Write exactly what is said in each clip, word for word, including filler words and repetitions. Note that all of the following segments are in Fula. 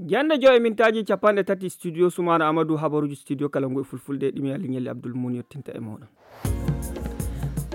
Yande joy e mintaaji capanɗe tati, studio Sumaana Amadou, habaruuji studio kala ngu e fulfulde, ɗimi Ali Ñelli Abdoul Moun yottinta e mooɗon.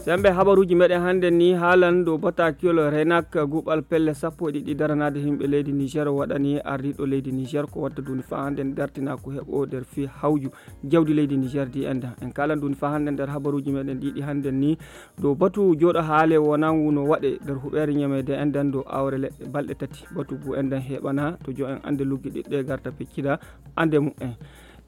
Sembe habaruuji meɗen hannden ni haalan dow batakiyol Renak guɓal pelle sappo e ɗiɗi daranaade yimɓe leydi Niger waɗani ardiiɗo leydi Niger ko watta duuni faa hannden dartina ko heɓo nder fii hawju jawdi leydi Niger di endan. En kaalan duuni faa hannden nder habaruuji meɗen ɗiɗi hannden ni dow batu jooɗo haale wonangu no waɗe nder huɓeere ñameede endan dow awre leɗɗe balɗe tati. Batu ngu endan heɓana to jo en annde luggi ɗiɗɗe garta peccida annde mu'en.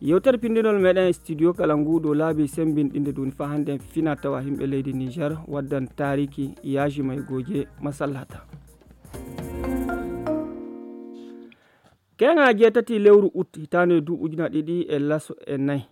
Yewtere pindinol meɗen e studio kala ngu dow laabi sembinɗinde duuni faa hannden fina tawa yimɓe leydi Niger waddan taariki yaaji maygooje masallata. Keŋa jeetati lewru ut hitaande duuɓi ujuna ɗiɗi e laso e nayi.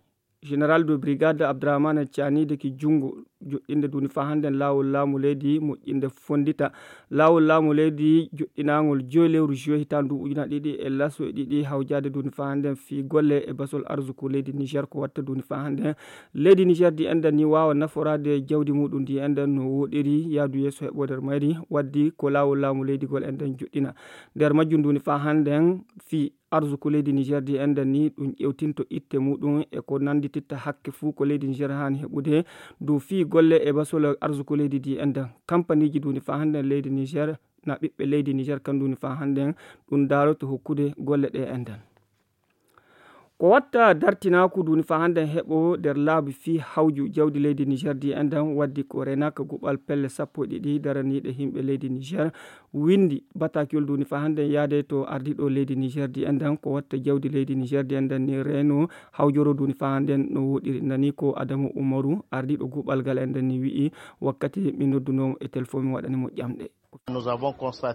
Général de brigade Abdourahmane Tiani deki junngo joɗɗinde duuni faa hannden laawol laamu leydi moƴƴinde fonndita laawol laamu leydi joɗɗinaangol joy lewru juillet hitaande duuɓi ujuna ɗiɗi e laso e ɗiɗi hawjaade duuni faa hannden fii golle e basol arsuku leydi Niger ko watta duuni faa hannden leydi Niger di enɗan ni waawa naforaade jawdi muɗum di enɗan no woɗiri yaadu yeeso heɓo nder mayri waddi ko laawol laamu leydi gol enɗan joɗɗina nder majjum duuni faa hannden fii arsuku leydi Niger di enɗan ni ɗum ƴewtinto itte muɗum e ko nanndititta hakke fuu ko leydi Niger haani heɓude dow fii golle e basol arsuku leydi di enɗan kampaniiji duuni faa hannden leydi Niger na ɓiɓɓe leydi Niger kan duuni faa hannden ɗum daaroto hokkude golle ɗe enɗan. Ko watta dartinaaku duuni faa hannden heɓo nder laabi fii hawju jawdi leydi Niger di enɗan waddi ko renaka guɓal pelle sappo e ɗiɗi daraniiɗe yimɓe leydi Niger winndi batakiyol duuni faa hannden yaade to ardiiɗo leydi Niger di enɗan ko watta jawdi leydi Niger di enɗan ni reeno hawjoro duuni faa hannden no woɗiri nani ko Adamu Umaru ardiiɗo guɓal gal enɗan ni wi'i wakkati mi noddunoo e telefon mi waɗani mo ƴamɗe.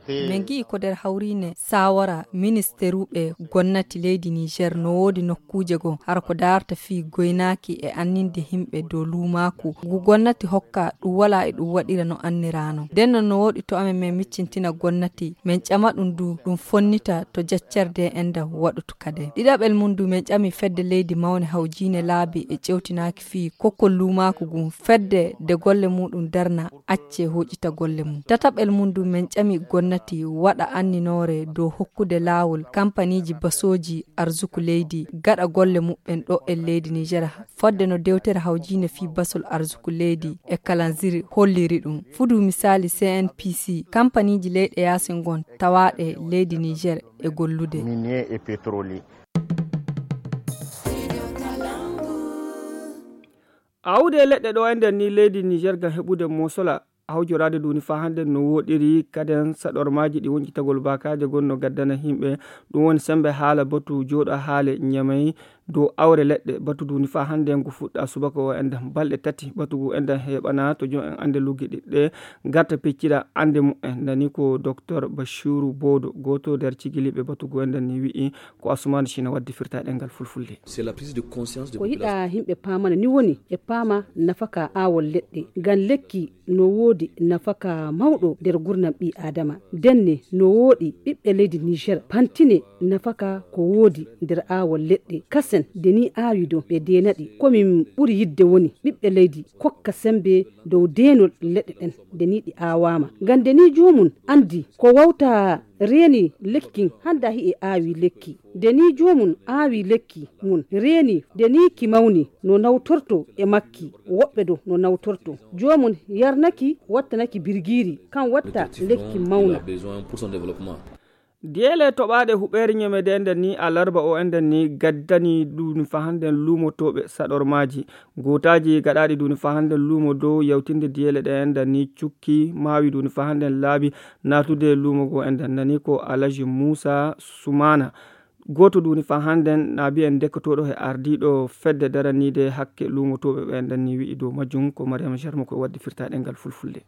Min ngi'i ko nder hawriine saawara ministeruɓe gonnati leydi Niger no woodi nokkuuje goo hara ko daarta fii goynaaki e anninde yimɓe dow luumaaku ngu gonnati hokka ɗum walaa e ɗum waɗira no anniraano. Nden non no woodi to amen min miccintina gonnati min ƴama ɗum du ɗum fonnita to jaccerde enɗan waɗutu kade. Ɗiɗaɓel mum du min ƴami fedde leydi mawne hawjiine laabi e ƴewtinaaki fii kokkol luumaaku ngun fedde nde golle muɗum darna acce hoƴita golle mum. Tataɓel mum du min ƴami gonnati waɗa anninoore dow hokkude laawol kampaniiji basooji arsuku leydi gaɗa golle muɓɓen ɗo e leydi Niger fodde no dewtere hawjiinde fii basol arsuku leydi e kalanzir holliri ɗum. Fudu misaali C N P C kampaniiji leyɗe yaasi ngon tawaaɗe leydi Niger e gollude. Awde leɗɗe ɗo e nder ni leydi Niger ngam heɓude mosola hawjoraade duuni faa hannden no woɗiri kaden saɗormaaji ɗi woncitagol baakaaje gonno gaddana yimɓe ɗum woni sembe haala batu jooɗo haale ñamay dow awre leɗɗe batu duuni faa hannden ngu fuɗɗa subaka o enɗan balɗe tati batu ngu enɗan heɓana to jom en annde luggi ɗiɗɗe garta peccira annde mu'en nani ko docteur Bachirou Bodo gooto nder cigiliiɓe batu ngu enɗan ni wi'i ko Asumaana Cina waddi firta ɗengal fulfulde. Ko hiɗa yimɓe paamana ni woni e paama nafaka aawol leɗɗe ngam lekki no woodi nafaka mawɗo nder gurnam ɓii aadama. Ndenne no wooɗi ɓiɓɓe leydi Niger pantine nafaka ko woodi nder aawol leɗɗe kasen nde ni aawi dow ɓe deenaɗi komin ɓuri yidde woni ɓiɓɓe leydi kokka sembe dow deenol leɗɗe ɗen nde ni ɗi aawaama ngam nde ni joomum anndi ko wawta reeni lekki hannda hi'e aawi lekki nde ni joomum aawi lekki mum reeni nde ni ki mawni no nawtorto e makki woɓɓe dow no nawtorto joomum yarnaki wattanaki birgiiri kan watta lekki mawna. Diyeele toɓaaɗe huɓeere ñemeede enden ni alarba o enden ni gaddani duuni faa hannden luumotooɓe saɗormaaji gootaaji gaɗaaɗi duuni faa hannden luumo dow yawtinde diyeele ɗe enden ni cukki maawi duuni faa hannden laabi naatude luumo goo enden nani ko Alaji Muusa Sumaana gooto duuni faa hannden naabi en ndekkotooɗo he ardiiɗo fedde daraniide hakke luumotooɓe ɓe enden ni wi'i dow majjum ko Mariama Jarmo ko waddi firtaaɗe ngal fulfulde.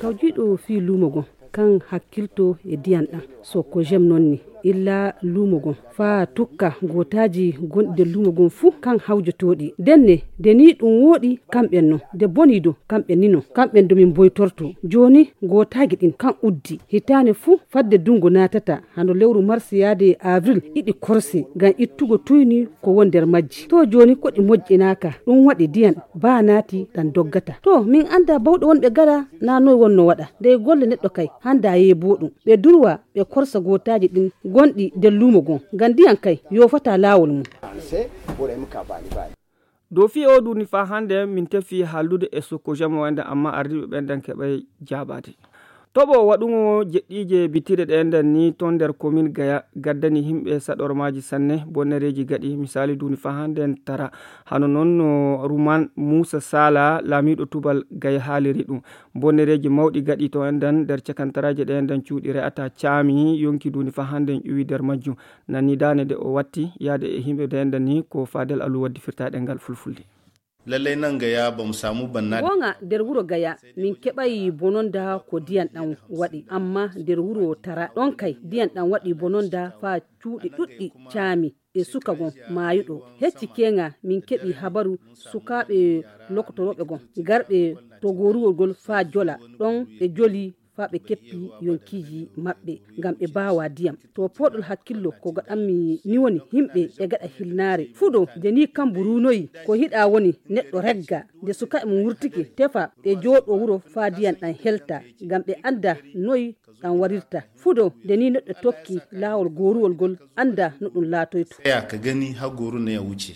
Kawjiiɗo fii luumo ngon kan hakkilto e diyan ɗan so ko jem non ni illa luumo ngon faa tukka gootaaji gonɗi nder luumo ngon fuu kan hawjotooɗi ndenne nde nii ɗum wooɗi kamɓen non nde bonii do kamɓen ni non kamɓen do min mboytorto jooni gootaagi ɗin kan uddi hitaane fuu fadde dunngo naatata hano lewru mars yaade e avril iɗi korse ngam ittugo tuyni ko won nder majji to jooni koɗi moƴƴinaaka ɗum waɗi diyan baa naati ɗan doggata to min anndaa bawɗe wonɓe gaɗa naa noy wonno waɗa ndey golle neɗɗo kay hanndaa yeeboo ɗum ɓe durwa e korsa gootaaji ɗin gonɗi nder luumo gon, ngam ndiyan kay yoofataa laawol mum. Dow fii oo duuni faa hannde, min tefii haaldude e sokko jamo en, amma ardiiɓe ɓen ɗan keɓay jaabaade. Toɓo waɗuŋo jeɗɗiije bitire ɗe enɗan ni ton nder komin Gaya gaddani himɓe saɗormaaji sanne, bonnereeji gaɗi misaali duuni faa hannde en tara. Hano non no Ruman Muusa Sala, laamiiɗo tubal Gaya haaliri ɗum. Bonnereeji mawɗi gaɗi to enɗan nder cakantaraaje ɗe enɗan cuuɗi re'ata caami yonki duuni faa hannde en ƴuwi nder majjum. Nani daane de o watti yaade e himɓe de enɗan ni ko Fadel Alu waddi firtaaɗe ngal fulfulde. Lallai nan Gaya ba mu samu banna. Goonga, nder wuro Gaya min keɓayi bononda ko diyan ɗan waɗi, amma nder wuro Tara ɗon kay diyan ɗan waɗi bononda faa cuuɗi ɗuɗɗi caami e suka gon maayuɗo. Hecci keeŋa min keɓi habaru sukaaɓe lokotorooɓe gon garɓe to gooruwol gol faa jola ɗon ɓe joli faa ɓe keppi yonkiiji maɓɓe ngam ɓe baawa diyam. To pooɗol hakkillo ko gaɗanmi ni woni himɓe e gaɗa hilnaare. Fuɗo nde ni kambu ruunoyi ko hiɗa woni neɗɗo regga. Nde sukaaɓe mum wurtike tefa ɓe jooɗo wuro faa diyam ɗan helta ngam ɓe annda noy ɗan warirta. Fuɗo nde ni neɗɗo tokki laawol gooruwol gol annda no ɗum laatoyto. Ya ka gani har goru na ya wuce.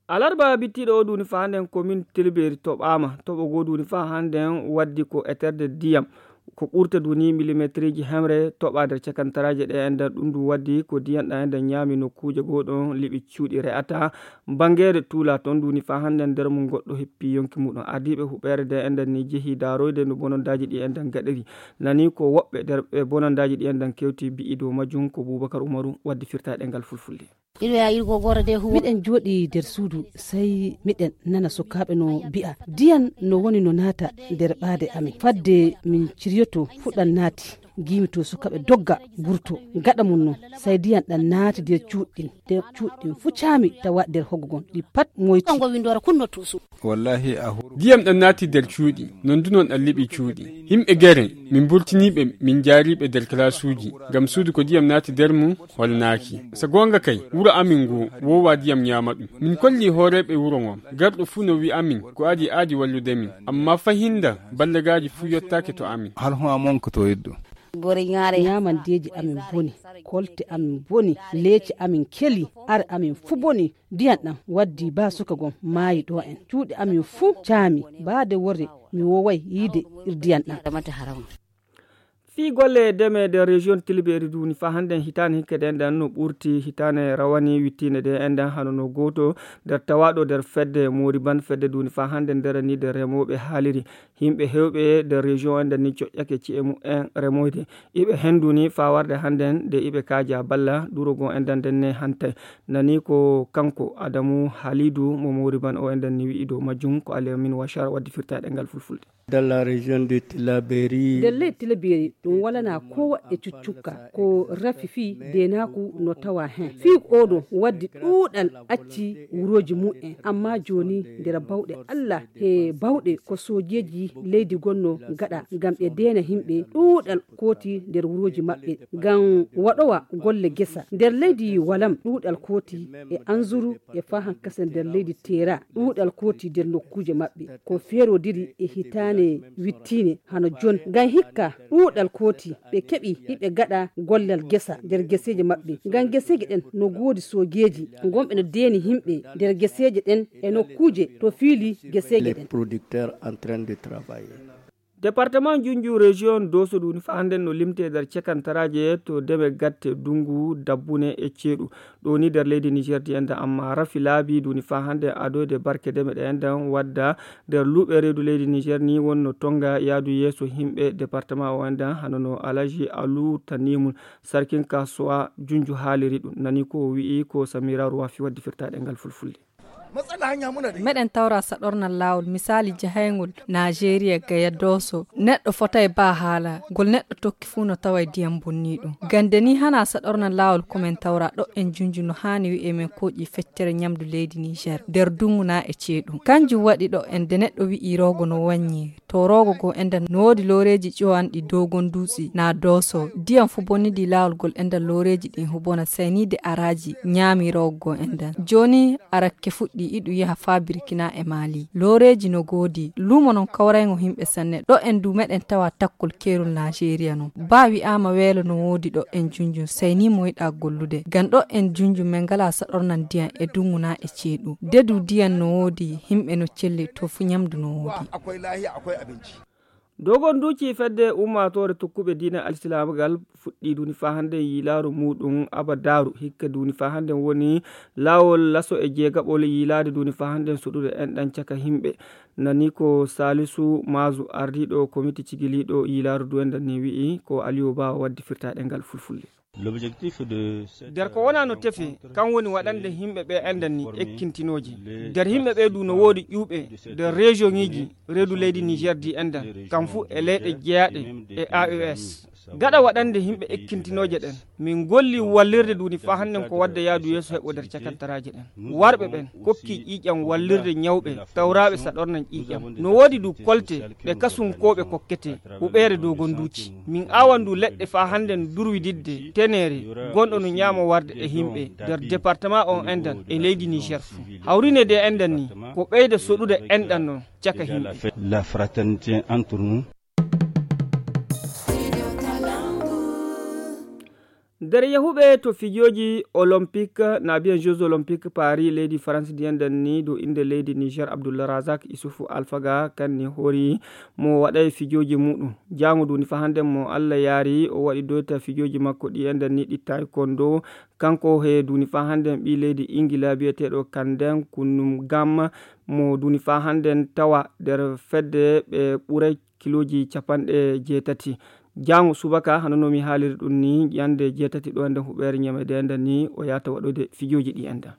Alarba bittiiɗo o duuni faa hannden komin Tilbeeri toɓaama. Toɓo goo duuni faa hannden waddi ko eterde diyam. Ko ɓurta duuni milimetriiji hemre toɓa nder cakantaraaje ɗe enɗan ɗum ɗum waddi ko diyan ɗan enɗan ñaami nokkuuje goo ɗon liɓi cuuɗi re'ata. Banngeere tuula ton duuni faa hannden nder mum goɗɗo heppi yonki muɗum. Ardiiɓe huɓeere de enɗan ni jehi daaroyde no bonondaaji ɗi enɗan gaɗiri. Nani ko woɓɓe nder ɓe bonondaaji ɗi enɗan kewti bi'i dow majjum ko Bubakar Umaru waddi firtaaɗe ngal fulfulde. Miɗen jooɗi nder suudu, sey miɗen nana sukaaɓe no bi'a, diyan no woni no naata nder ɓaade amin. Fadde min ciryoto fuɗan naati, giimi to sukaaɓe dogga gurto. Gaɗa mum non, sey diyan ɗan naati nder cuuɗi ɗin. Nder cuuɗi ɗin fu caami tawa nder hoggo gon, ɗi pat moyti. Wallahi a huru. Diyam ɗan naati nder cuuɗi, non du non ɗan liɓi cuuɗi. Himɓe gere, min burtiniiɓe, min jaariiɓe nder kalaasuuji, ngam suudu ko diyam naati nder mum holnaaki. So goonga kay, wuro amin ngo woowa diyam ñaama ɗum. Min kolli hooreeɓe wuro ngon, garɗo fuu no wi'a min ko adii aadi wallude min. Amma fahinda, ballagaaji fuu yottaaki to amin. Hal hon amon ko to yiddo. Ñaamandeeji amin boni, kolte amin boni, leece amin keli, are amin fuu boni. Diyan ɗan waddi baa suka gon maayi ɗo en. Cuuɗi amin fuu caami, baa de worre mi wooway yiide ir diyan ɗan. Fii golle deme nder région Tilbeeri duuni faa hannden hitaande hikke ɗen ɗan no ɓurti hitaande rawani wittiinde ɗe enɗan hano no gooto nder tawaaɗo nder fedde Moriban fedde duuni faa hannden nder ni nder remooɓe haaliri. Himɓe heewɓe nder région enɗan ni coƴƴake ci'e mu'en remoyde. Iɓe henduni faa warde hannden de iɓe kaaja balla ɗuro goo enɗan nden ne hantay. Nani ko kanko Adamu Halidu mo Moriban o enɗan ni wi'i dow majjum ko Aliyamin Washar waddi firtaaɗe ngal fulfulde. Dans la région de Tilaberi. Nder ley Tilaberi ɗum walanaa koo waɗde cuccukka, ko rafi fii deenaaku no tawaa hen. Fii oo ɗoo waddi ɗuuɗal acci wurooji mu'en, ammaa jooni nder bawɗe Alla he bawɗe ko soojeeji leydi gonnoo gaɗa ngam ɓe deena himɓe, ɗuuɗal kooti nder wurooji maɓɓe ngam waɗowa golle gesa. Nder leydi Walam ɗuuɗal kooti e Anzuru e faa hankasa nder leydi Teera, ɗuuɗal kooti nder nokkuuje maɓɓe ko feerodiri e hitaande wittiinde hano jon. Ngam hikka ɗuuɗal kooti ɓe keɓi hiɓe gaɗa gollal gesa nder geseeje maɓɓe. Ngam geseeje ɗen no goodi soogeeji gonɓe no deeni himɓe nder geseeje ɗen e nokkuuje to fiili geseeje ɗen. Departement Junju région Doso ɗum faa hannden no limtee nder cekantaraaje to deme gatte dungu dabbune e ceeɗu. Ɗo ni nder leydi Niger di enɗan amma rafi laabi ɗum faa hannden adoyde barke deme ɗe enɗan wadda nder luuɓe reedu leydi Niger ni wonno tonga yaadu yeeso himɓe departement o enɗan hano no Alaji Alu Tanimun sarkin kasuwa Junju haaliri ɗum. Nani ko o wi'i ko Samira Ruwafi waddi firtaaɗe ngal fulfulde. Meɗen tawra saɗornal laawol, misaali jahayngol Naajeeriya Gaya Dooso. Neɗɗo fotay baa haala, ngol neɗɗo tokki fuu no taway diyam bonnii ɗum. Gande nii hanaa saɗornal laawol ko men tawra ɗo en Junju no haani wi'e men kooƴi feccere ñamdu leydi Niger, nder dungu naa e ceeɗu. Kanjum waɗi ɗo en de neɗɗo wi'i roogo no wannyi. To roogo goo enɗan no woodi looreeji ƴowanɗi Dogon Dutse naa Dooso. Diyam fuu bonnidii laawol gol enɗan looreeji ɗin hubona sayniide araaji ñaami roogo goo enɗan. Jooni arakke fuɗɗi. iɗu yaha faa Birkina e Maali. Looreeji no goodi, luumo non kawrayŋo himɓe sanne. Ɗo en du meɗen tawa takkol keerol Naajeeriya non. Baa wi'aama weelo no woodi ɗo en junjun, sey ni mo yiɗaa gollude. Ngam ɗo en junjun men ngalaa saɗornan diyan e duŋu naa e ceeɗu. De du diyan no woodi, himɓe no celli, to fu ɲamdu no woodi. Dogon duuci fedde ummaatoore tokkuɓe diina alsilaama ngal fuɗɗii duuni faa hannden yiilaaru muuɗum abadaaru. Hikka duuni faa hannden woni laawol laso e jeegaɓol yiilaade duuni faa hannden soɗude enɗan caka himɓe. Nani ko Saalisu Maazu, ardiiɗo komiti cigiliiɗo yiilaaru du enɗan ni wi'i, ko Aliyu Ba waddi firtaaɗe ngal fulfulde. Nder ko wonaa no tefe, kan woni waɗande himɓe ɓe enɗan ni ekkintinooje. Nder himɓe ɓe du no woodi ƴuuɓe nder rejiyoŋiiji reedu leydi Niger di enɗan, kam fu e leyɗe jeyaaɗe e A E S. Gaɗa waɗande himɓe ekkintinooje ɗen, min golli wallirde duuni faa hannden ko wadda yaadu yeeso heɓo nder cakattaraaje ɗen. Warɓe ɓen kokki ƴiiƴam wallirde ɲawɓe tawraaɓe saɗornan ƴiiƴam. No woodi du kolte ɗe kasunkooɓe kokkete huɓeere Dogon Duuci. Min aawan du leɗɗe faa hannden durwididde teneere gonɗo no ɲaama warde e himɓe nder departama on enɗan e leydi Niger fu. Hawrine de enɗan ni ko ɓeyda soɗude enɗan non caka himɓe. Nder yahuɓe to fijooji Olympique, na biyan Jeux Olympiques Paris, leydi France di enɗan ni, dow innde leydi Niger, Abdullah Razak Isufu Alfaga, kan ni hori mo waɗay fijooji muɗum. Jaango duuni faa hannden mo Allah yaari, o waɗi doyta fijooji makko ɗi enɗan ni ɗi taekwondo. Kanko he duuni faa hannden ɓii leydi Ingila biyeteeɗo Kanden Kunum Gam, mo duuni faa hannden tawa nder fedde ɓe ɓuray kilooji capanɗe jeetati. Jaango subaka, hano no mi haaliri ɗum ni, ɲande jeetati ɗo enɗan huɓeere ɲamede enɗan ni, o yaata waɗude fijooji ɗi enɗan.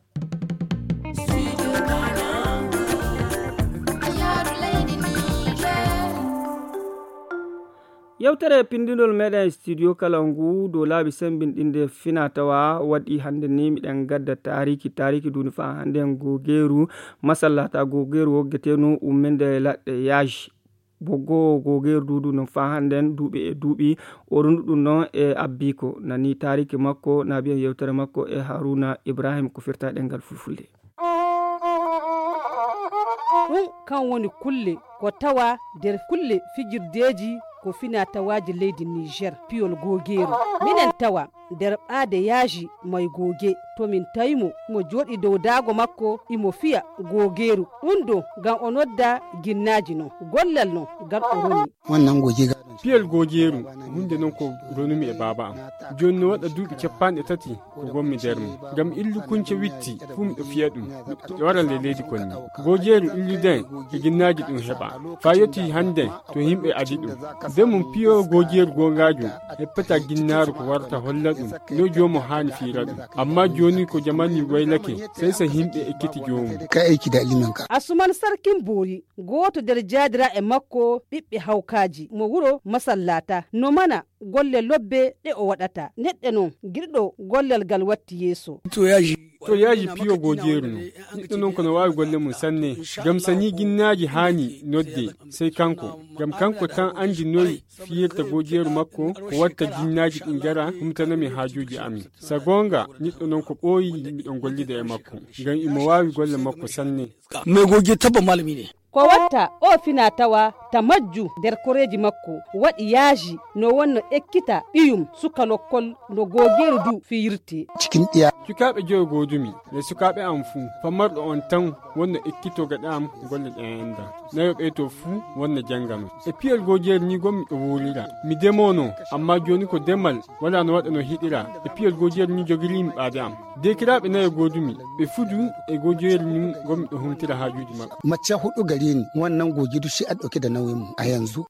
Yewtere pinndinol meɗen studio kala ngu dow laabi sembinɗinde fina tawa waɗi hannde ni miɗen gadda taariki, taariki duuni faa hannde gogeeru, masallata gogeeru woggeteenu umminde laɗɗe yaaji. Boggo gogeeru duudu non faa hannden duuɓi e duuɓi, o rundu ɗum non e abbiiko. Nani taariki makko, na biyan yewtere makko e Haruna Ibrahim ko firta ɗemngal fulfulde. Ɗum kan woni kulle ko tawa nder kulle fijirdeeji ko fina tawaaji leydi Niger, piyol gogeeru. Minen tawa nder ɓaade yaaji may goge, to min tawi mo, mo jooɗi dow daago makko, imo fiya gogeeru. Ɗum ɗo ngam o nodda ginnaaji non, gollal non ngal o roni. Wannan goge gadon. Piyol gogeeru, hunde non ko ronumi e baaba am. Jooni no waɗa duuɓi capanɗe tati ko ngonmi nder mum. Ngam illu kunce witti, fuu miɗo fiya ɗum, miɗo wara nde leydi kon ni. Gogeeru illu den e ginnaaji ɗum heɓa. Faa yottii hannden, to yimɓe adi ɗum. Nden mum piyo gogeeru goongaajo, heppata ginnaaru ko warata holla ɗum, no joomo haani fiira ɗum. Ammaa jooni ko jamani waylake, sey so yimɓe ekkiti joomum. Ka aiki da ilimin ka. Asuman Sarkin Boori, gooto nder jaadiraaɓe makko, ɓiɓɓe hawkaaji, mo wuro Masallata, no mana golle lobbe ɗe o waɗata. Neɗɗo non, giɗɗo gollal ngal watti yeeso. To yaaji. To yaaji piyo gojeeru non. Neɗɗo non ko no waawi golle mum sanne. Ngam so nii ginnaaji haani nodde, sey kanko. Ngam kanko tan anndi noy fiyirta gojeeru makko, ko watta ginnaaji ɗin ngara, humtana mi haajuuji amin. So goonga, neɗɗo non ko ɓooyi miɗon gollida e makko. Ngam imo waawi golle makko sanne. Mai goge tabba malami ne. Ko watta o fina tawa ta majju nder koreeji makko, waɗi yaaji no wonno ekkita ɓiyum suka lokkol no gogeeru du fiyirte. Cikin ɗiya. Sukaaɓe joyo goodumi, nder sukaaɓe am fuu, famarɗo on tan wonno ekkito gaɗa am golle ɗen enɗan. Nayo ɓe to fuu wonno janngano. E piyol gojeeru ni gommi ɗo wuurira. Mi demono, ammaa jooni ko demal walaa no waɗa no hiɗira. E piyol gojeeru ni jogiriimi ɓaade am. Deekiraaɓe nayo goodumi, ɓe fuu du e gojeeru ni gommi ɗo humtira haajuuji maɓɓe. Mace huɗu gare ni, wannan goge duk shi a ɗauke da nauyin mu a yanzu.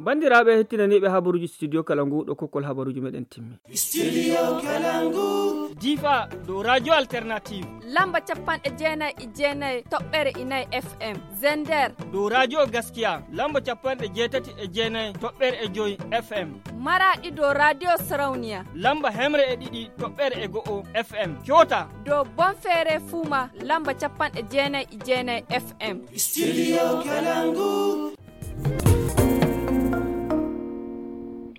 Banndiraaɓe hettinaniiɓe habaruuji studio kala ngu ɗo kokkol habaruuji meɗen timmi. Studio Kalangu. Difa dow Radio Alternative. Lamba capanɗe jeenayi e jeenayi toɓɓere e nayi F M. Zender. Dow Radio Gaskiya. Lamba capanɗe jeetati e jeenayi toɓɓere e joyi F M. Maraɗi dow Radio Sarauniya. Lamba hemre e ɗiɗi toɓɓere e go'o F M. Kyota. Dow Bonfere Fuma. Lamba capanɗe jeenayi e jeenayi F M. Studio Kalangu.